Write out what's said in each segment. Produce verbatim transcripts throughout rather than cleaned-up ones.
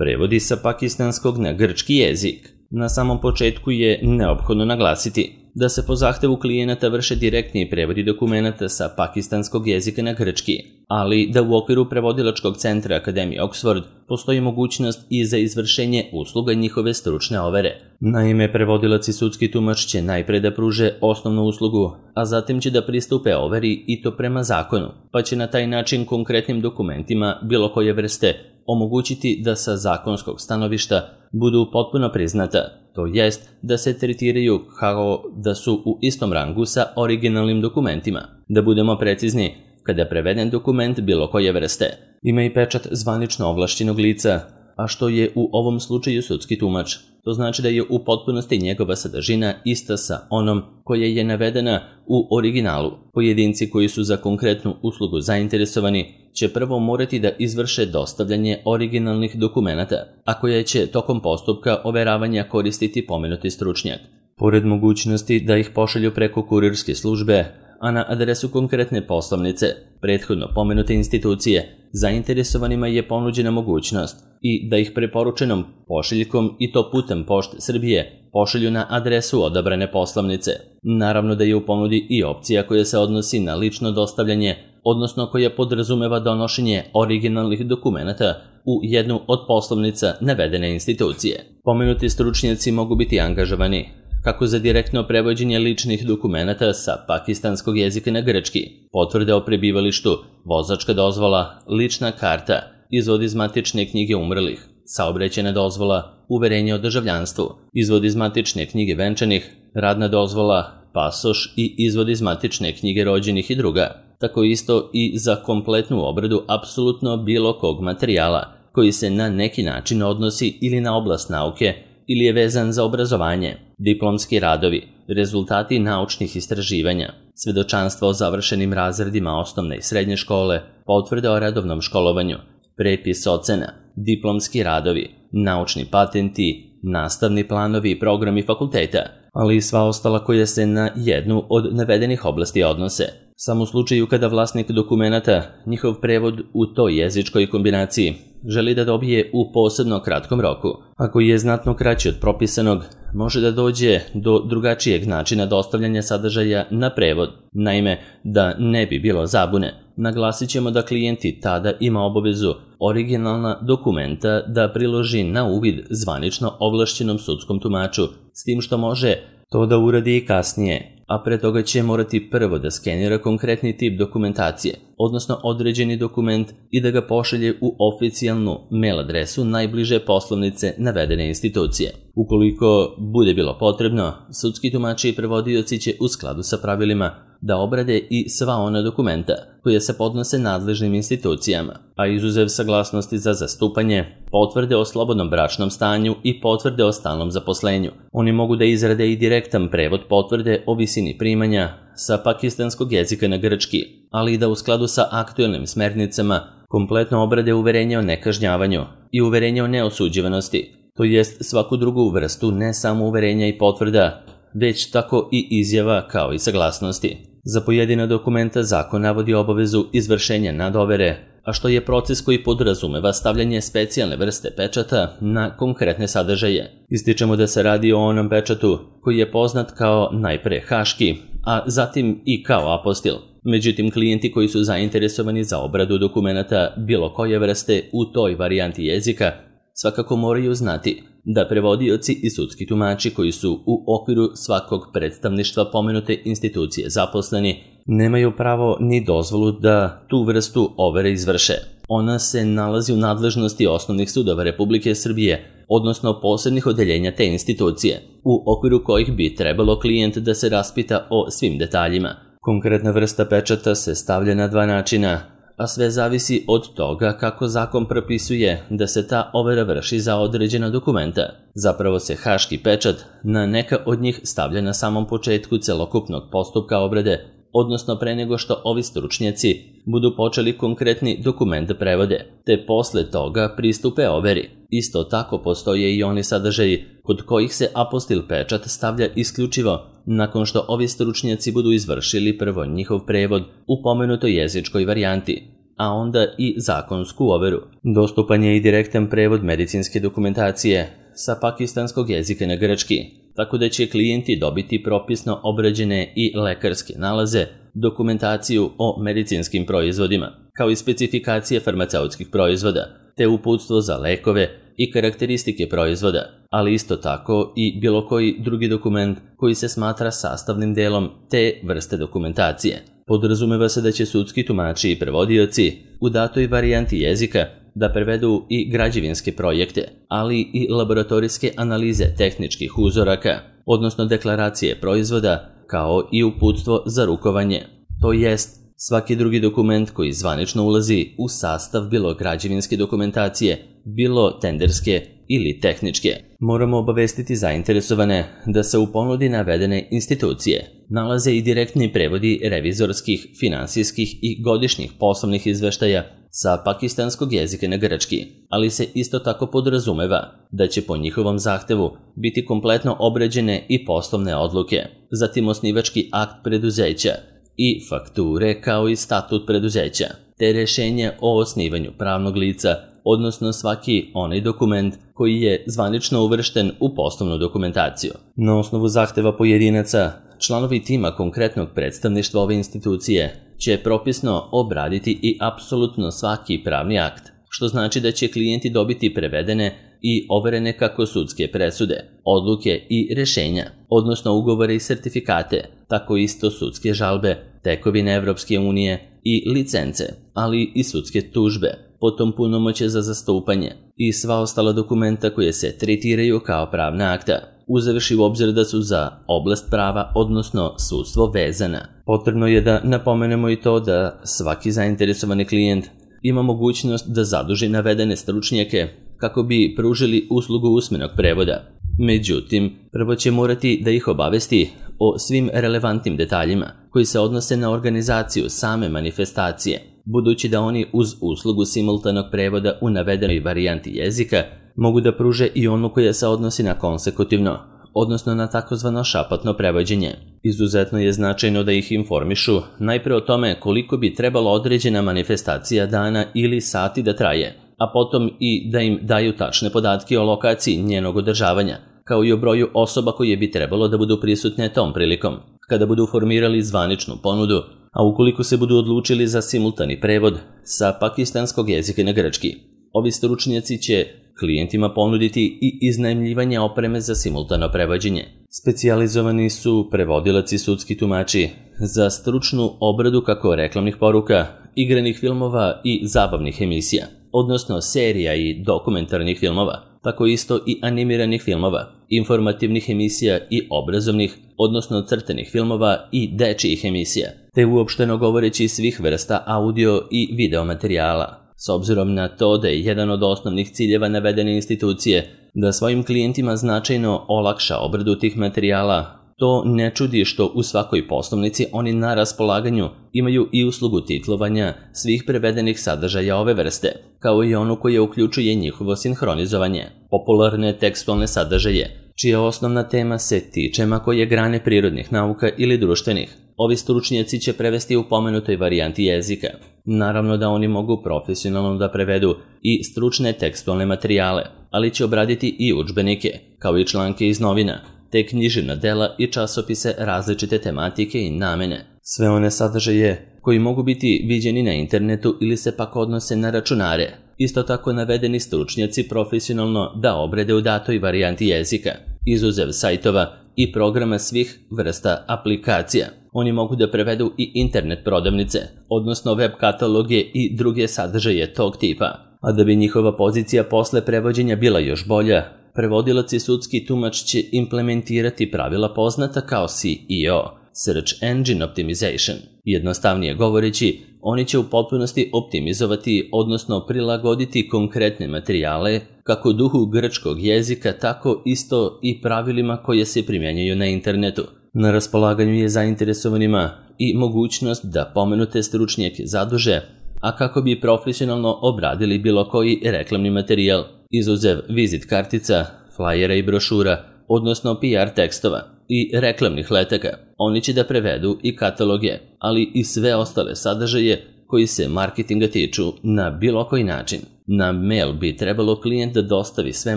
prevodi sa pakistanskog na grčki jezik. Na samom početku je neophodno naglasiti da se po zahtevu klijenata vrše direktni prevodi dokumenata sa pakistanskog jezika na grčki, ali da u okviru prevodilačkog centra Akademije Oxford postoji mogućnost i za izvršenje usluga njihove stručne overe. Naime, prevodilac i sudski tumač će najpre da pruže osnovnu uslugu, a zatim će da pristupe overi i to prema zakonu, pa će na taj način konkretnim dokumentima bilo koje vrste omogućiti da sa zakonskog stanovišta budu potpuno priznata, to jest da se tretiraju kao da su u istom rangu sa originalnim dokumentima. Da budemo precizni, kada preveden dokument bilo koje vrste ima i pečat zvanično ovlašćenog lica, a što je u ovom slučaju sudski tumač. To znači da je u potpunosti njegova sadržina ista sa onom koja je navedena u originalu. Pojedinci koji su za konkretnu uslugu zainteresovani će prvo morati da izvrše dostavljanje originalnih dokumenata, a koje će tokom postupka overavanja koristiti pomenuti stručnjak. Pored mogućnosti da ih pošalju preko kurirske službe, a na adresu konkretne poslovnice, prethodno pomenute institucije, zainteresovanima je ponuđena mogućnost i da ih preporučenom pošiljkom i to putem Pošte Srbije pošalju na adresu odabrane poslovnice. Naravno da je u ponudi i opcija koja se odnosi na lično dostavljanje, odnosno koja podrazumeva donošenje originalnih dokumenata u jednu od poslovnica navedene institucije. Pomenuti stručnjaci mogu biti angažovani kako za direktno prevođenje ličnih dokumenata sa pakistanskog jezika na grčki, potvrde o prebivalištu, vozačka dozvola, lična karta, izvod iz matične knjige umrlih, saobraćajna dozvola, uverenje o državljanstvu, izvod iz matične knjige venčanih, radna dozvola, pasoš i izvod iz matične knjige rođenih i druga. Tako isto i za kompletnu obradu apsolutno bilo kog materijala koji se na neki način odnosi ili na oblast nauke ili je vezan za obrazovanje, diplomski radovi, rezultati naučnih istraživanja, svedočanstva o završenim razredima osnovne i srednje škole, potvrde o redovnom školovanju, prepis ocena, diplomski radovi, naučni patenti, nastavni planovi i programi fakulteta, ali i sva ostala koja se na jednu od navedenih oblasti odnose. Samo u slučaju kada vlasnik dokumenata, njihov prevod u toj jezičkoj kombinaciji, želi da dobije u posebno kratkom roku, ako je znatno kraći od propisanog, može da dođe do drugačijeg načina dostavljanja sadržaja na prevod. Naime, da ne bi bilo zabune, naglasit ćemo da klijenti tada ima obavezu originalna dokumenta da priloži na uvid zvanično ovlašćenom sudskom tumaču, s tim što može to da uradi i kasnije, a pre toga će morati prvo da skenira konkretni tip dokumentacije, odnosno određeni dokument i da ga pošalje u oficijalnu mail adresu najbliže poslovnice navedene institucije. Ukoliko bude bilo potrebno, sudski tumači i prevodioci će u skladu sa pravilima da obrade i sva ona dokumenta koje se podnose nadležnim institucijama, a izuzev saglasnosti za zastupanje, potvrde o slobodnom bračnom stanju i potvrde o stalnom zaposlenju. Oni mogu da izrade i direktan prevod potvrde o visini primanja sa pakistanskog jezika na grčki, ali i da u skladu sa aktuelnim smernicama kompletno obrade uverenje o nekažnjavanju i uverenje o neosuđivanosti, to jest svaku drugu vrstu ne samo uverenja i potvrda, već tako i izjava kao i saglasnosti. Za pojedina dokumenta zakon navodi obavezu izvršenja nadovere, a što je proces koji podrazumeva stavljanje specijalne vrste pečata na konkretne sadržaje. Ističemo da se radi o onom pečatu koji je poznat kao najpre haški, a zatim i kao apostil. Međutim, klijenti koji su zainteresovani za obradu dokumenata bilo koje vrste u toj varijanti jezika svakako moraju znati da prevodioci i sudski tumači koji su u okviru svakog predstavništva pomenute institucije zaposleni nemaju pravo ni dozvolu da tu vrstu overe izvrše. Ona se nalazi u nadležnosti osnovnih sudova Republike Srbije, odnosno posebnih odeljenja te institucije, u okviru kojih bi trebalo klijent da se raspita o svim detaljima. Konkretna vrsta pečata se stavlja na dva načina, a sve zavisi od toga kako zakon propisuje da se ta overa vrši za određena dokumenta. Zapravo se haški pečat na neka od njih stavlja na samom početku celokupnog postupka obrade, odnosno pre nego što ovi stručnjaci budu počeli konkretni dokument da prevode, te posle toga pristupe overi. Isto tako postoje i oni sadržaji kod kojih se apostil pečat stavlja isključivo nakon što ovi stručnjaci budu izvršili prvo njihov prevod u pomenutoj jezičkoj varijanti. a onda i zakonsku overu. Dostupan je i direktan prevod medicinske dokumentacije sa pakistanskog jezika na grčki, tako da će klijenti dobiti propisno obrađene i lekarske nalaze, dokumentaciju o medicinskim proizvodima, kao i specifikacije farmaceutskih proizvoda, te uputstvo za lekove i karakteristike proizvoda, ali isto tako i bilo koji drugi dokument koji se smatra sastavnim delom te vrste dokumentacije. Podrazumeva se da će sudski tumači i prevodioci u datoj varijanti jezika da prevedu i građevinske projekte, ali i laboratorijske analize tehničkih uzoraka, odnosno deklaracije proizvoda, kao i uputstvo za rukovanje, to jest svaki drugi dokument koji zvanično ulazi u sastav bilo građevinske dokumentacije, bilo tenderske ili tehničke. Moramo obavestiti zainteresovane da se u ponudi navedene institucije nalaze i direktni prevodi revizorskih, finansijskih i godišnjih poslovnih izveštaja sa pakistanskog jezika na grčki, ali se isto tako podrazumeva da će po njihovom zahtevu biti kompletno obrađene i poslovne odluke, zatim osnivački akt preduzeća i fakture kao i statut preduzeća, te rješenje o osnivanju pravnog lica, odnosno svaki onaj dokument koji je zvanično uvršten u poslovnu dokumentaciju. Na osnovu zahteva pojedinaca, članovi tima konkretnog predstavništva ove institucije će propisno obraditi i apsolutno svaki pravni akt, što znači da će klijenti dobiti prevedene i overene kako sudske presude, odluke i rješenja, odnosno ugovore i sertifikate, tako isto sudske žalbe, tekovine Evropske unije i licence, ali i sudske tužbe, potom punomoće za zastupanje i sva ostala dokumenta koje se tretiraju kao pravna akta, uzevši u obzir da su za oblast prava, odnosno sudstvo, vezana. Potrebno je da napomenemo i to da svaki zainteresovani klijent ima mogućnost da zaduži navedene stručnjake kako bi pružili uslugu usmenog prevoda. Međutim, prvo će morati da ih obavesti o svim relevantnim detaljima koji se odnose na organizaciju same manifestacije, budući da oni uz uslugu simultanog prevoda u navedenoj varijanti jezika mogu da pruže i onu koja se odnosi na konsekutivno, odnosno na takozvano šapatno prevođenje. Izuzetno je značajno da ih informišu najpre o tome koliko bi trebalo određena manifestacija dana ili sati da traje, a potom i da im daju tačne podatke o lokaciji njenog održavanja, kao i o broju osoba koje bi trebalo da budu prisutne tom prilikom, kada budu formirali zvaničnu ponudu, a ukoliko se budu odlučili za simultani prevod sa pakistanskog jezika na grčki. Ovi stručnjaci će klijentima ponuditi i iznajmljivanje opreme za simultano prevođenje. Specijalizovani su prevodilac i sudski tumači za stručnu obradu kako reklamnih poruka, igranih filmova i zabavnih emisija, odnosno serija i dokumentarnih filmova, tako isto i animiranih filmova, informativnih emisija i obrazovnih, odnosno crtenih filmova i dečijih emisija, te uopšteno govoreći svih vrsta audio i video materijala. S obzirom na to da je jedan od osnovnih ciljeva navedene institucije da svojim klijentima značajno olakša obradu tih materijala, to ne čudi što u svakoj poslovnici oni na raspolaganju imaju i uslugu titlovanja svih prevedenih sadržaja ove vrste, kao i onu koja uključuje njihovo sinhronizovanje, popularne tekstualne sadržaje, čija osnovna tema se tiče ma koje grane prirodnih nauka ili društvenih. Ovi stručnjaci će prevesti u pomenutoj varijanti jezika. Naravno da oni mogu profesionalno da prevedu i stručne tekstualne materijale, ali će obraditi i udžbenike, kao i članke iz novina, te književna dela i časopise različite tematike i namene. Sve one sadržaje koji mogu biti viđeni na internetu ili se pak odnose na računare. Isto tako navedeni stručnjaci profesionalno da obrede u datoj varijanti jezika, izuzev sajtova i programa svih vrsta aplikacija. Oni mogu da prevedu i internet prodavnice, odnosno web kataloge i druge sadržaje tog tipa. A da bi njihova pozicija posle prevođenja bila još bolja, prevodilac i sudski tumač će implementirati pravila poznata kao S E O, Search Engine Optimization. Jednostavnije govoreći, oni će u potpunosti optimizovati, odnosno prilagoditi konkretne materijale kako duhu grčkog jezika, tako isto i pravilima koje se primjenjuju na internetu. Na raspolaganju je zainteresovanima i mogućnost da pomenute stručnjake zaduže, a kako bi profesionalno obradili bilo koji reklamni materijal, izuzev vizit kartica, flajera i brošura, odnosno P R tekstova i reklamnih letaka. Oni će da prevedu i kataloge, ali i sve ostale sadržaje koji se marketinga tiču na bilo koji način. Na mail bi trebalo klijent da dostavi sve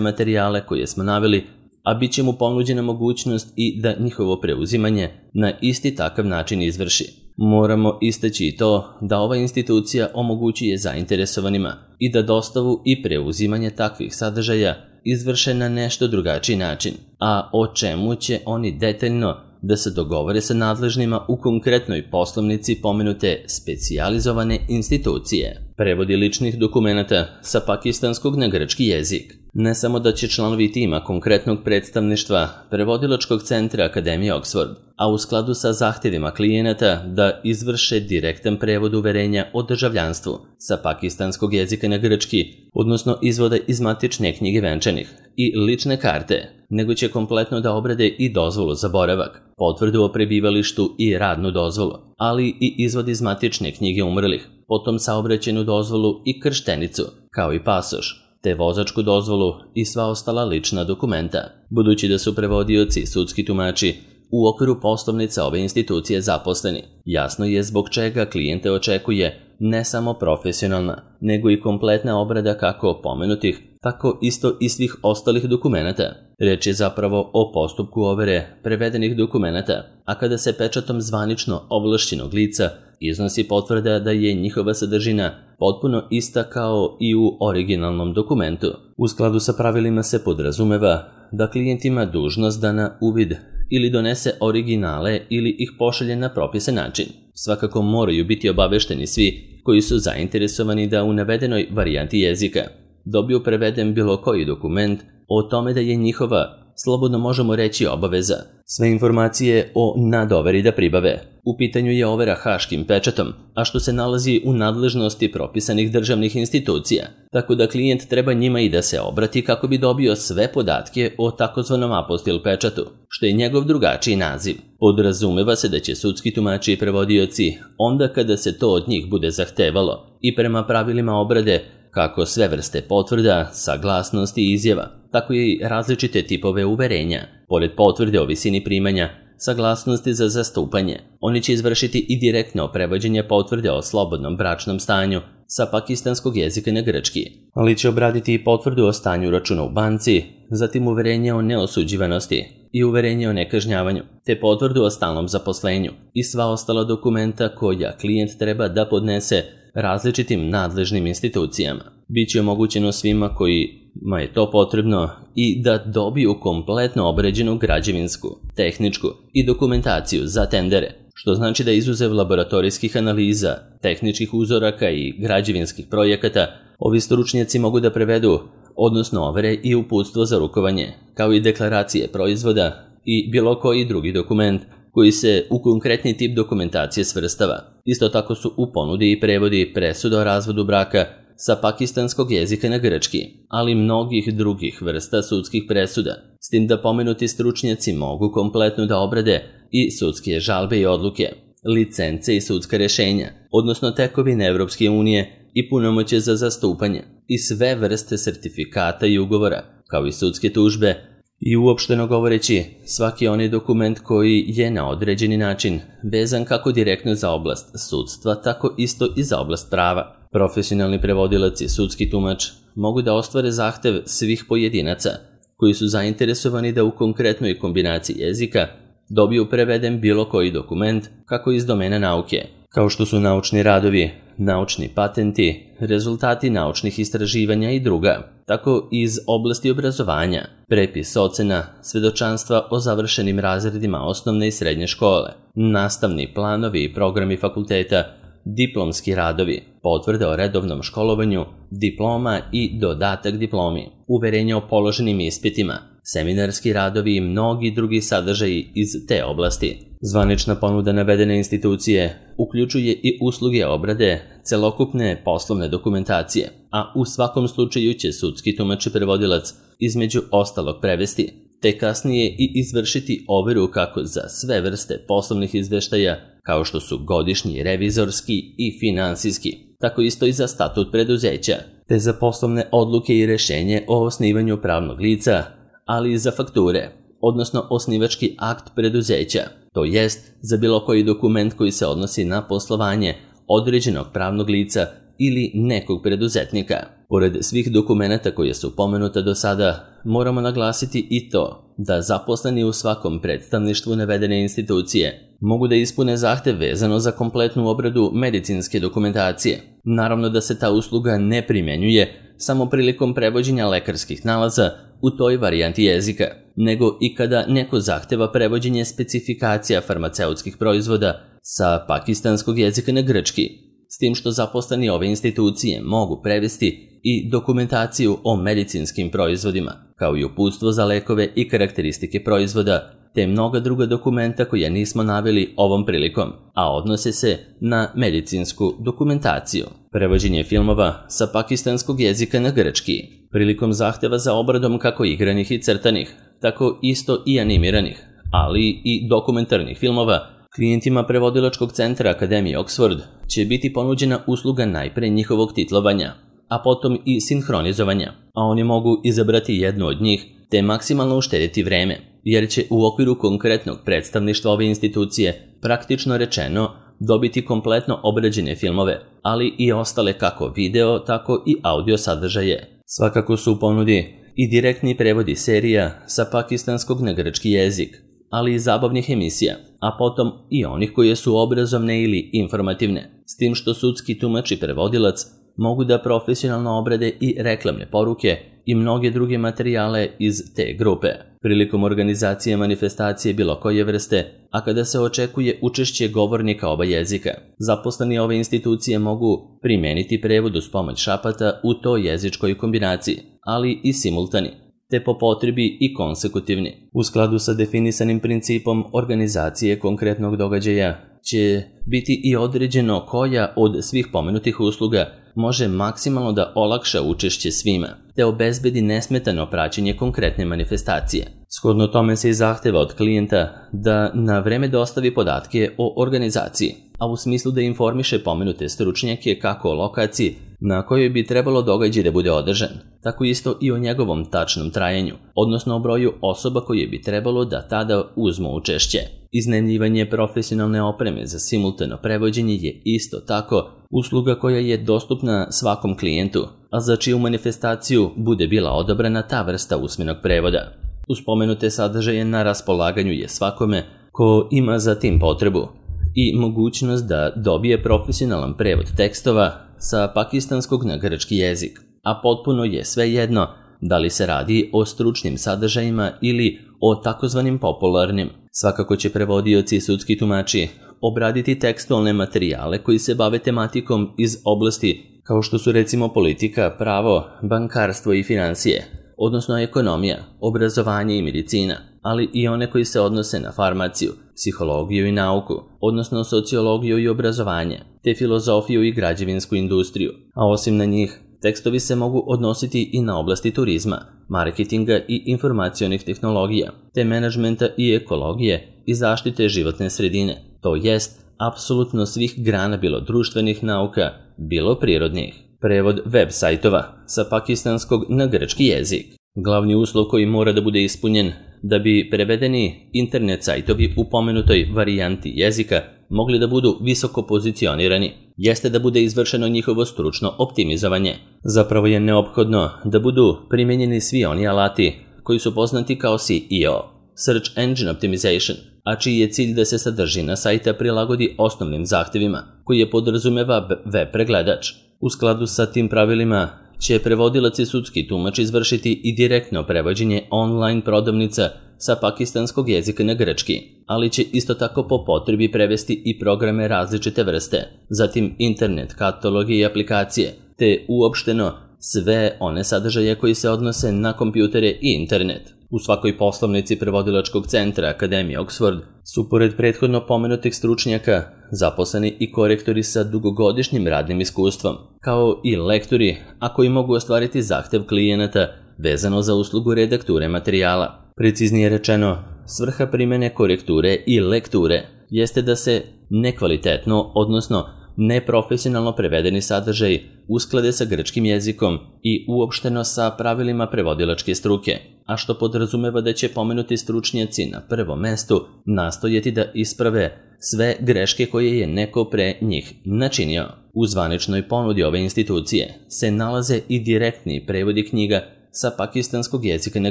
materijale koje smo naveli, a bit će mu ponuđena mogućnost i da njihovo preuzimanje na isti takav način izvrši. Moramo istaći i to da ova institucija omogućuje zainteresovanima i da dostavu i preuzimanje takvih sadržaja izvrše na nešto drugačiji način, a o čemu će oni detaljno da se dogovore sa nadležnima u konkretnoj poslovnici pomenute specijalizovane institucije. Prevodi ličnih dokumenata sa pakistanskog na grčki jezik. Ne samo da će članovi tima konkretnog predstavništva prevodilačkog centra Akademije Oxford, a u skladu sa zahtjevima klijenata da izvrše direktan prevod uverenja o državljanstvu sa pakistanskog jezika na grčki, odnosno izvode iz matične knjige venčanih i lične karte, nego će kompletno da obrade i dozvolu za boravak, potvrdu o prebivalištu i radnu dozvolu, ali i izvod iz matične knjige umrlih, potom saobraćajnu dozvolu i krštenicu, kao i pasoš, te vozačku dozvolu i sva ostala lična dokumenta. Budući da su prevodioci i sudski tumači u okviru poslovnica ove institucije zaposleni, jasno je zbog čega klijente očekuje ne samo profesionalna, nego i kompletna obrada kako pomenutih, tako isto i svih ostalih dokumenata. Reč je zapravo o postupku overe prevedenih dokumenata, a kada se pečatom zvanično ovlašćenog lica iznosi potvrda da je njihova sadržina potpuno ista kao i u originalnom dokumentu. U skladu sa pravilima se podrazumeva da klijent ima dužnost da na uvid ili donese originale ili ih pošalje na propisan način. Svakako moraju biti obavešteni svi koji su zainteresovani da u navedenoj varijanti jezika dobiju preveden bilo koji dokument o tome da je njihova, slobodno možemo reći, obaveza sve informacije o nadoveri da pribave. U pitanju je overa haškim pečatom, a što se nalazi u nadležnosti propisanih državnih institucija, tako da klijent treba njima i da se obrati kako bi dobio sve podatke o takozvanom apostil pečatu, što je njegov drugačiji naziv. Podrazumeva se da će sudski tumači i prevodioci, onda kada se to od njih bude zahtevalo i prema pravilima obrade, kako sve vrste potvrda, saglasnosti i izjava, tako i različite tipove uverenja. Pored potvrde o visini primanja, saglasnosti za zastupanje, oni će izvršiti i direktno prevođenje potvrde o slobodnom bračnom stanju sa pakistanskog jezika na grčki, ali će obraditi i potvrdu o stanju računa u banci, zatim uverenje o neosuđivanosti i uverenje o nekažnjavanju, te potvrdu o stalnom zaposlenju i sva ostala dokumenta koja klijent treba da podnese različitim nadležnim institucijama. Biće omogućeno svima kojima je to potrebno i da dobiju kompletno obrađenu građevinsku, tehničku i dokumentaciju za tendere, što znači da izuzev laboratorijskih analiza, tehničkih uzoraka i građevinskih projekata, ovi stručnjaci mogu da prevedu, odnosno overe i uputstvo za rukovanje, kao i deklaracije proizvoda i bilo koji drugi dokument koji se u konkretni tip dokumentacije svrstava. Isto tako su u ponudi i prevodi presuda o razvodu braka sa pakistanskog jezika na grčki, ali mnogih drugih vrsta sudskih presuda, s tim da pomenuti stručnjaci mogu kompletno da obrade i sudske žalbe i odluke, licence i sudska rešenja, odnosno tekovine Evropske unije i punomoćje za zastupanje i sve vrste sertifikata i ugovora, kao i sudske tužbe, i uopšteno govoreći svaki onaj dokument koji je na određeni način vezan kako direktno za oblast sudstva, tako isto i za oblast prava. Profesionalni prevodilac i sudski tumač mogu da ostvare zahtev svih pojedinaca koji su zainteresovani da u konkretnoj kombinaciji jezika dobiju preveden bilo koji dokument kako iz domena nauke, kao što su naučni radovi, naučni patenti, rezultati naučnih istraživanja i druga, tako iz oblasti obrazovanja, prepis ocena, svedočanstva o završenim razredima osnovne i srednje škole, nastavni planovi i programi fakulteta, diplomski radovi, potvrde o redovnom školovanju, diploma i dodatak diplomi, uverenje o položenim ispitima, seminarski radovi i mnogi drugi sadržaji iz te oblasti. Zvanična ponuda navedene institucije uključuje i usluge obrade celokupne poslovne dokumentacije, a u svakom slučaju će sudski tumač i prevodilac između ostalog prevesti, te kasnije i izvršiti overu kako za sve vrste poslovnih izveštaja, kao što su godišnji, revizorski i finansijski, tako isto i za statut preduzeća, te za poslovne odluke i rešenje o osnivanju pravnog lica, ali i za fakture, odnosno osnivački akt preduzeća, to jest za bilo koji dokument koji se odnosi na poslovanje, određenog pravnog lica ili nekog preduzetnika. Pored svih dokumenata koje su pomenuta do sada, moramo naglasiti i to da zaposleni u svakom predstavništvu navedene institucije mogu da ispune zahtev vezano za kompletnu obradu medicinske dokumentacije. Naravno da se ta usluga ne primenjuje samo prilikom prevođenja lekarskih nalaza u toj varijanti jezika, nego i kada neko zahteva prevođenje specifikacija farmaceutskih proizvoda sa pakistanskog jezika na grčki, s tim što zaposleni ove institucije mogu prevesti i dokumentaciju o medicinskim proizvodima, kao i uputstvo za lekove i karakteristike proizvoda, te mnoga druga dokumenta koja nismo naveli ovom prilikom, a odnose se na medicinsku dokumentaciju. Prevođenje filmova sa pakistanskog jezika na grčki, prilikom zahteva za obradom kako igranih i crtanih, tako isto i animiranih, ali i dokumentarnih filmova, klijentima prevodilačkog centra Akademije Oxford će biti ponuđena usluga najpre njihovog titlovanja, a potom i sinhronizovanja, a oni mogu izabrati jednu od njih te maksimalno uštediti vreme, jer će u okviru konkretnog predstavništva ove institucije praktično rečeno dobiti kompletno obrađene filmove, ali i ostale kako video, tako i audio sadržaje. Svakako su u ponudi i direktni prevodi serija sa pakistanskog na grčki jezik, ali i zabavnih emisija, a potom i onih koje su obrazovne ili informativne, s tim što sudski tumač i prevodilac mogu da profesionalno obrade i reklamne poruke i mnoge druge materijale iz te grupe. Prilikom organizacije manifestacije bilo koje vrste, a kada se očekuje učešće govornika oba jezika, zaposleni ove institucije mogu primeniti prevod uz pomoć šapata u toj jezičkoj kombinaciji, ali i simultani, te po potrebi i konsekutivni. U skladu sa definisanim principom organizacije konkretnog događaja će biti i određeno koja od svih pomenutih usluga može maksimalno da olakša učešće svima, te obezbedi nesmetano praćenje konkretne manifestacije. Shodno tome se i zahteva od klijenta da na vreme dostavi podatke o organizaciji, a u smislu da informiše pomenute stručnjake kako o lokaciji na kojoj bi trebalo događaj da bude održan, tako isto i o njegovom tačnom trajanju, odnosno o broju osoba koje bi trebalo da tada uzmu učešće. Iznajmljivanje profesionalne opreme za simultano prevođenje je isto tako usluga koja je dostupna svakom klijentu, a za čiju manifestaciju bude bila odabrana ta vrsta usmenog prevoda. Uz pomenute sadržaje na raspolaganju je svakome ko ima za tim potrebu i mogućnost da dobije profesionalan prevod tekstova sa pakistanskog na grčki jezik, a potpuno je svejedno da li se radi o stručnim sadržajima ili o takozvanim popularnim. Svakako će prevodioci i sudski tumači obraditi tekstualne materijale koji se bave tematikom iz oblasti kao što su recimo politika, pravo, bankarstvo i financije, odnosno ekonomija, obrazovanje i medicina, ali i one koji se odnose na farmaciju, psihologiju i nauku, odnosno sociologiju i obrazovanje, te filozofiju i građevinsku industriju, a osim na njih, tekstovi se mogu odnositi i na oblasti turizma, marketinga i informacionih tehnologija, te menadžmenta i ekologije i zaštite životne sredine, to jest apsolutno svih grana bilo društvenih nauka, bilo prirodnih. Prevod web sajtova sa pakistanskog na grčki jezik. Glavni uslov koji mora da bude ispunjen da bi prevedeni internet sajtovi u pomenutoj varijanti jezika mogli da budu visoko pozicionirani, jeste da bude izvršeno njihovo stručno optimizovanje. Zapravo je neophodno da budu primenjeni svi oni alati koji su poznati kao S E O, Search Engine Optimization, a čiji je cilj da se sadržina sajta prilagodi osnovnim zahtevima, koji je podrazumeva web pregledač. U skladu sa tim pravilima će prevodilac i sudski tumač izvršiti i direktno prevođenje online prodavnica sa pakistanskog jezika na grčki, ali će isto tako po potrebi prevesti i programe različite vrste, zatim internet kataloge i aplikacije, te uopšteno sve one sadržaje koji se odnose na kompjutere i internet. U svakoj poslovnici prevodilačkog centra Akademije Oxford su pored prethodno pomenutih stručnjaka zaposleni i korektori sa dugogodišnjim radnim iskustvom, kao i lektori, a koji mogu ostvariti zahtev klijenata vezano za uslugu redakture materijala. Preciznije rečeno, svrha primene korekture i lekture jeste da se nekvalitetno, odnosno neprofesionalno prevedeni sadržaj usklade sa grčkim jezikom i uopšteno sa pravilima prevodilačke struke, a što podrazumeva da će pomenuti stručnjaci na prvom mestu nastojati da isprave sve greške koje je neko pre njih načinio. U zvaničnoj ponudi ove institucije se nalaze i direktni prevodi knjiga sa pakistanskog jezika na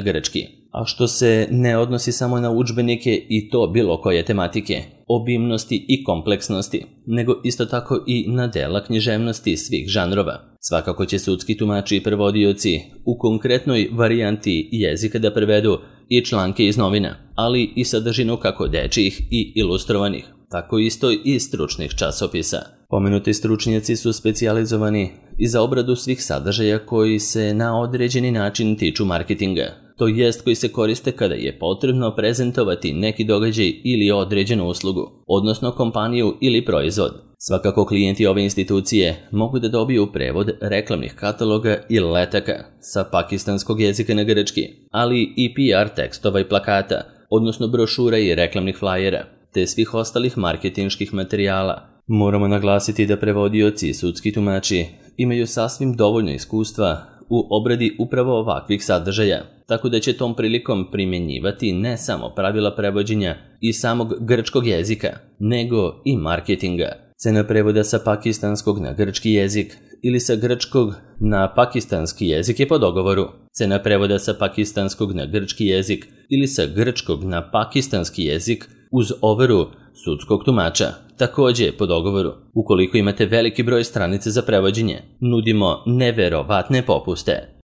grčki, a što se ne odnosi samo na udžbenike i to bilo koje tematike, obimnosti i kompleksnosti, nego isto tako i na dela književnosti svih žanrova. Svakako će sudski tumači i prevodioci u konkretnoj varijanti jezika da prevedu i članke iz novina, ali i sadržinu kako dečijih i ilustrovanih, tako isto i stručnih časopisa. Pomenuti stručnjaci su specijalizovani i za obradu svih sadržaja koji se na određeni način tiču marketinga, to jest koji se koriste kada je potrebno prezentovati neki događaj ili određenu uslugu, odnosno kompaniju ili proizvod. Svakako klijenti ove institucije mogu da dobiju prevod reklamnih kataloga i letaka sa pakistanskog jezika na grčki, ali i P R tekstova i plakata, odnosno brošura i reklamnih flajera, te svih ostalih marketinških materijala. Moramo naglasiti da prevodioci i sudski tumači imaju sasvim dovoljno iskustva u obradi upravo ovakvih sadržaja, tako da će tom prilikom primjenjivati ne samo pravila prevođenja i samog grčkog jezika, nego i marketinga. Cena prevoda sa pakistanskog na grčki jezik ili sa grčkog na pakistanski jezik je po dogovoru. Cena prevoda sa pakistanskog na grčki jezik ili sa grčkog na pakistanski jezik uz overu sudskog tumača, također po dogovoru. Ukoliko imate veliki broj stranica za prevođenje, nudimo neverovatne popuste.